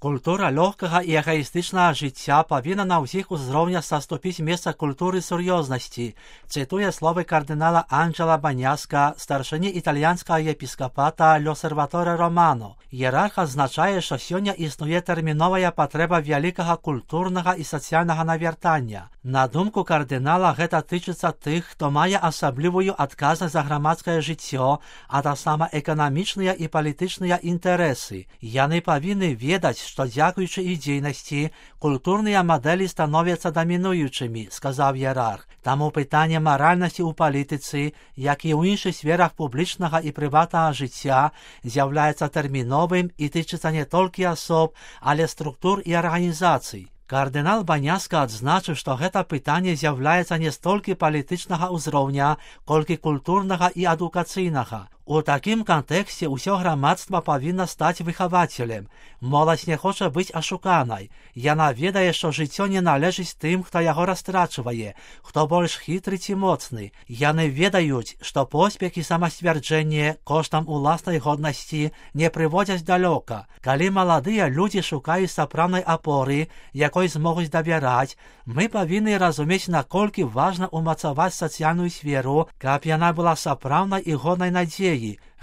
Культура лёгкага і эгоістычнага жыцця павінна на ўсіх узроўнях саступіць месца культуры сур'ёзнасці, цытуе словы кардынала Анджела Баняска, старшыні італьянскага епіскапата L'Osservatore Romano. Іерарх адзначае, што сёння існуе тэрміновая патрэба вялікага культурнага і сацыяльнага навяртання. На думку кардынала, гэта тычыцца тых, хто мае асаблівую адказнасць за грамадскае жыццё, а таксама эканамічныя і палітычныя інтарэсы. Яны павінны ведаць, што дзякуючы іх дзейнасці культурныя мадэлі становяцца дамінуючымі, сказаў іерарх. Таму пытанне маральнасці ў палітыцы, як і ў іншых сферах публічнага і прыватнага жыцця, з'яўляецца тэрміновым і тычыцца не толькі асоб, але структур і арганізацый. Кардынал Баняска адзначыў, што гэта пытанне з'яўляецца не столькі палітычнага ўзроўня, колькі культурнага і адукацыйнага. У такім кантэксце ўсё грамадства павінна стаць выхавацелем. Моладзь не хоча быць ашуканай. Яна ведае, што жыццё не належыць тым, хто яго растрачвае, хто больш хітры ці моцны. Яны ведаюць, што поспех і самасцвярджэнне коштам уласнай годнасці не прыводзяць далёка. Калі маладыя людзі шукаюць сапраўднай апоры, якой змогуць давяраць, мы павінны разумець, наколькі важна ўмацаваць сацыяльную сферу, каб яна была сапраўднай і годнай надзеі.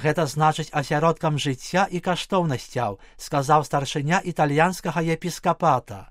Гэта значыць асяродкам жыцця і каштоўнасцяў, сказаў старшыня італьянскага епіскапата.